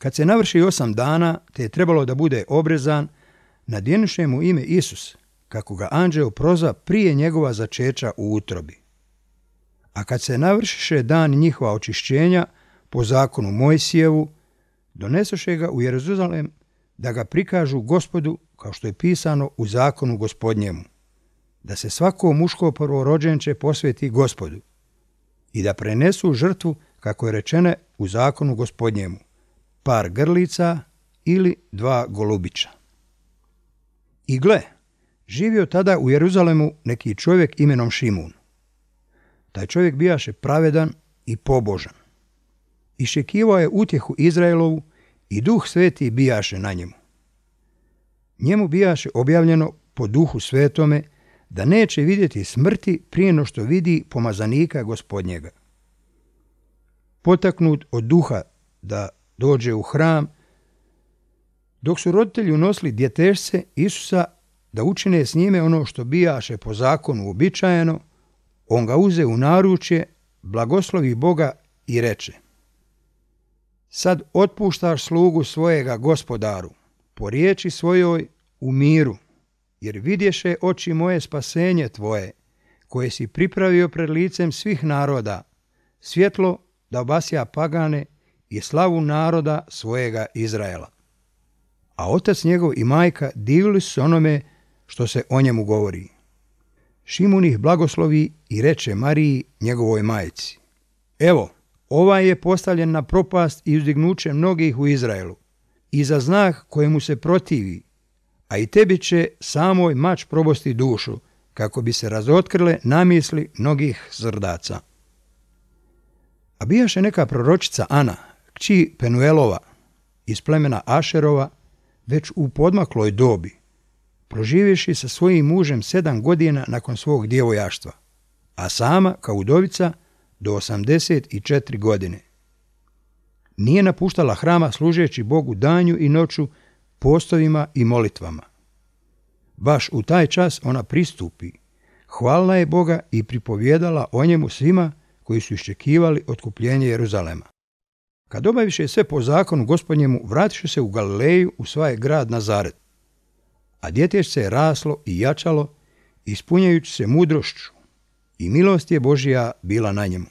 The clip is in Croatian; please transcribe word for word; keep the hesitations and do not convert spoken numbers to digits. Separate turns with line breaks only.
Kad se navrši osam dana, te je trebalo da bude obrezan, nadjenuše mu ime Isus, kako ga anđeo prozva prije njegova začeća u utrobi. A kad se navršiše dan njihova očišćenja, po zakonu Mojsijevu, donesoše ga u Jeruzalem da ga prikažu Gospodu, kao što je pisano u zakonu Gospodnjemu, da se svako muško prvorođenče posveti Gospodu i da prenesu žrtvu, kako je rečene u zakonu Gospodnjemu, par grlica ili dva golubića. I gle, živio tada u Jeruzalemu neki čovjek imenom Šimun. Taj čovjek bijaše pravedan i pobožan. Iščekivao je utjehu Izraelovu i Duh Sveti bijaše na njemu. Njemu bijaše objavljeno po Duhu Svetome da neće vidjeti smrti prije no što vidi pomazanika Gospodnjega. Potaknut od duha da dođe u hram, dok su roditelji unosili djetešce Isusa da učine s njime ono što bijaše po zakonu uobičajeno, on ga uze u naručje, blagoslovi Boga i reče: Sad otpuštaš slugu svojega Gospodaru, po riječi svojoj u miru, jer vidješe oči moje spasenje tvoje, koje si pripravio pred licem svih naroda, svjetlo da obasja pagane i slavu naroda svojega Izraela. A otac njegov i majka divili su se onome što se o njemu govori. Šimun ih blagoslovi i reče Mariji, njegovoj majci: Evo, ovaj je postavljen na propast i uzdignuće mnogih u Izraelu, i za znak kojemu se protivi, a i tebi će samoj mač probosti dušu, kako bi se razotkrile namisli mnogih srdaca. A bijaše neka proročica Ana, kći Penuelova, iz plemena Ašerova, već u podmakloj dobi, proživjevši sa svojim mužem sedam godina nakon svog djevojaštva, a sama, kao udovica, do osamdeset četiri godine. Nije napuštala hrama služeći Bogu danju i noću postovima i molitvama. Baš u taj čas ona pristupi, hvalila je Boga i pripovjedala o njemu svima koji su iščekivali otkupljenje Jeruzalema. Kad obaviše sve po zakonu Gospodnjemu, vratiše se u Galileju u svoj grad Nazaret. A djetešce je raslo i jačalo, ispunjajući se mudrošću, i milost je Božja bila na njemu.